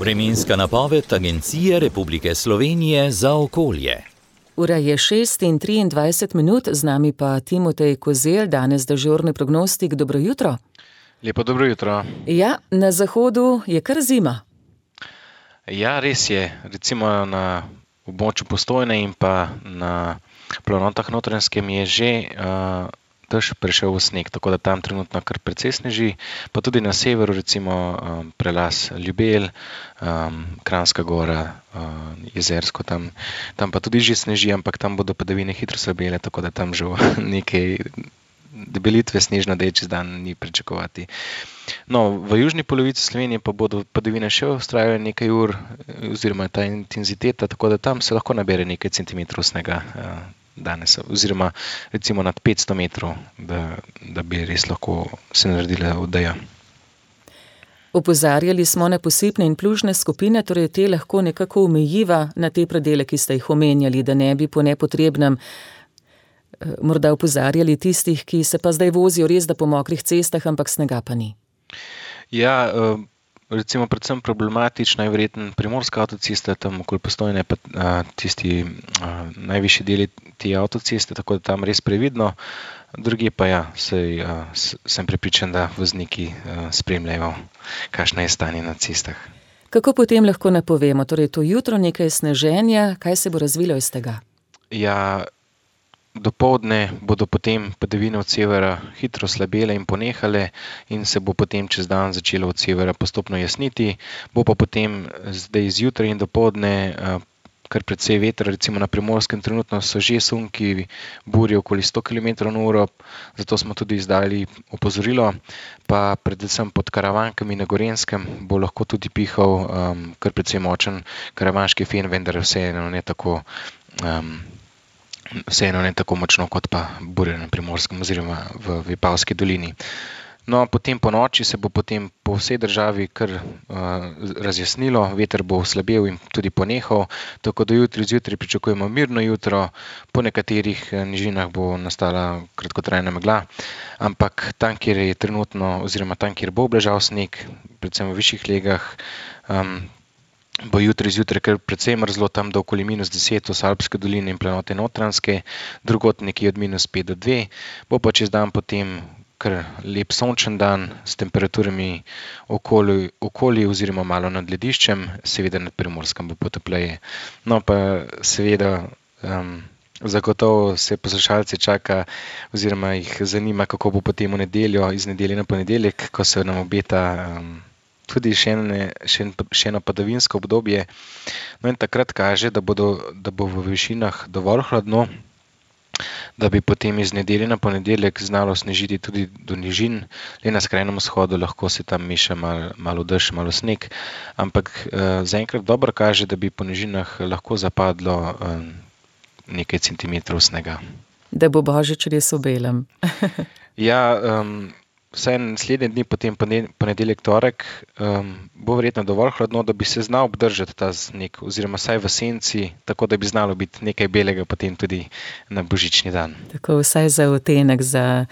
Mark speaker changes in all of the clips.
Speaker 1: Vremenska napoved Agencije Republike Slovenije za okolje.
Speaker 2: Ura je 6:23, z nami pa Timotej Kozelj, danes dežurni prognostik. Dobro jutro.
Speaker 3: Lepo dobro jutro.
Speaker 2: Ja, na zahodu je kar zima.
Speaker 3: Ja, res je. Recimo na območju Postojne in pa na planotah Notranjskem je že dež prešel v sneg, tako da tam trenutno kar precej sneži, pa tudi na severu, recimo prelaz Ljubelj, Kranjska Gora, Jezersko, tam pa tudi že sneži, ampak tam bodo padavine hitro slabele, tako da tam že nekaj debelitve snežno čez dan ni pričakovati. No, v južni polovici Slovenije pa bodo padavine še vztrajale nekaj ur, oziroma ta intenziteta, tako da tam se lahko nabere nekaj centimetrov snega danes, oziroma recimo nad 500 metrov, da bi res lahko se naredila odeja.
Speaker 2: Opozarjali smo na posipne in plužne skupine, torej te lahko nekako omejiva na te predele, ki ste jih omenjali, da ne bi po nepotrebnem morda opozarjali tistih, ki se pa zdaj vozijo res da po mokrih cestah, ampak snega pa ni.
Speaker 3: Ja, recimo predvsem problematična je verjetno primorska avtocesta, tam okoli Postojne pa tisti najvišji deli te avtoceste, tako da tam res previdno. Drugi pa ja, sem prepričan, da vozniki spremljajo, kakšno je stanje na cestah.
Speaker 2: Kako potem lahko napovemo? Torej to jutro nekaj sneženja, kaj se bo razvilo iz tega?
Speaker 3: Ja, dopoldne bodo potem padavine od severa hitro slabele in ponehale in se bo potem čez dan začelo od severa postopno jasniti. Bo pa potem zdaj zjutraj in dopoldne kar precej vetra, recimo na Primorskem trenutno so že sunki burje okoli 100 km/h, zato smo tudi izdali opozorilo, pa predvsem pod Karavankami na Gorenjskem bo lahko tudi pihal kar precej močen karavanški fen, vendar vseeno ne tako močno kot pa burje na Primorskem oziroma v Vipavski dolini. No, potem po noči se bo potem po vsej državi kar razjasnilo, veter bo slabel in tudi ponehal, tako da zjutraj pričakujemo mirno jutro, po nekaterih nižinah bo nastala kratkotrajna megla, ampak tam, kjer je trenutno, oziroma tam, kjer bo obležal sneg, predvsem v višjih legah, bo zjutraj kar precej mrzlo, tam do okoli -10 v Salbske doline in planote Notranjske, drugod nekje od -5 do 2, bo pa čez dan potem kar lep sončen dan s temperaturami okoli oziroma malo nad lediščem, seveda nad Primorskem bo potopleje. No pa seveda zagotovo se poslušalce čaka oziroma jih zanima, kako bo potem v nedeljo, iz nedelje na ponedeljek, ko se nam obeta tudi še eno padavinsko obdobje. No in takrat kaže, da bo v višinah dovolj hladno, da bi potem iz nedelje na ponedeljek znalo snežiti tudi do nižin. Le na skrajnem vzhodu lahko se tam meša malo dež, malo sneg, ampak zaenkrat dobro kaže, da bi po nižinah lahko zapadlo nekaj centimetrov snega.
Speaker 2: Da bo božič res v belem.
Speaker 3: Ja, vsaj naslednje dni, potem ponedeljek, torek, bo verjetno dovolj hladno, da bi se znal obdržati ta sneg, oziroma vsaj v senci, tako da bi znalo biti nekaj belega potem tudi na božični dan.
Speaker 2: Tako vsaj za odtenek, za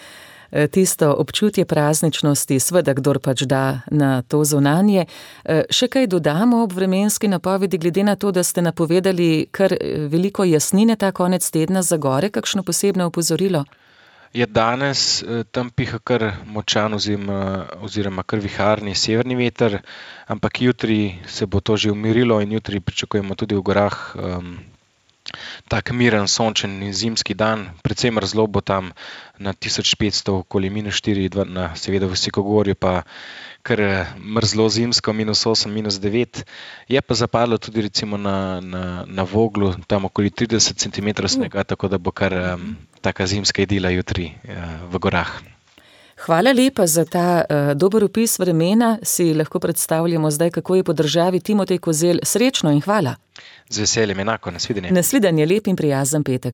Speaker 2: tisto občutje prazničnosti, seveda kdor pač da na to zunanje. Še kaj dodamo ob vremenski napovedi, glede na to, da ste napovedali kar veliko jasnine ta konec tedna za gore, kakšno posebno opozorilo?
Speaker 3: Je danes tam piha kar močan oziroma kar viharni severni veter, ampak jutri se bo to že umirilo in jutri pričakujemo tudi v gorah tak miren, sončen in zimski dan. Predvsem mrzlo bo tam na 1500 okoli -4, seveda v Visokogorju pa kar mrzlo zimsko, -8, -9. Je pa zapadlo tudi recimo na Voglu, tam okoli 30 cm snega, tako da bo kar taka zimska idila jutri v gorah.
Speaker 2: Hvala lepa za ta dober opis vremena. Si lahko predstavljamo zdaj, kako je po državi. Timotej Kozelj, srečno in hvala.
Speaker 3: Z veseljem, enako, nasvidenje.
Speaker 2: Nasvidenje, lep in prijazen petek.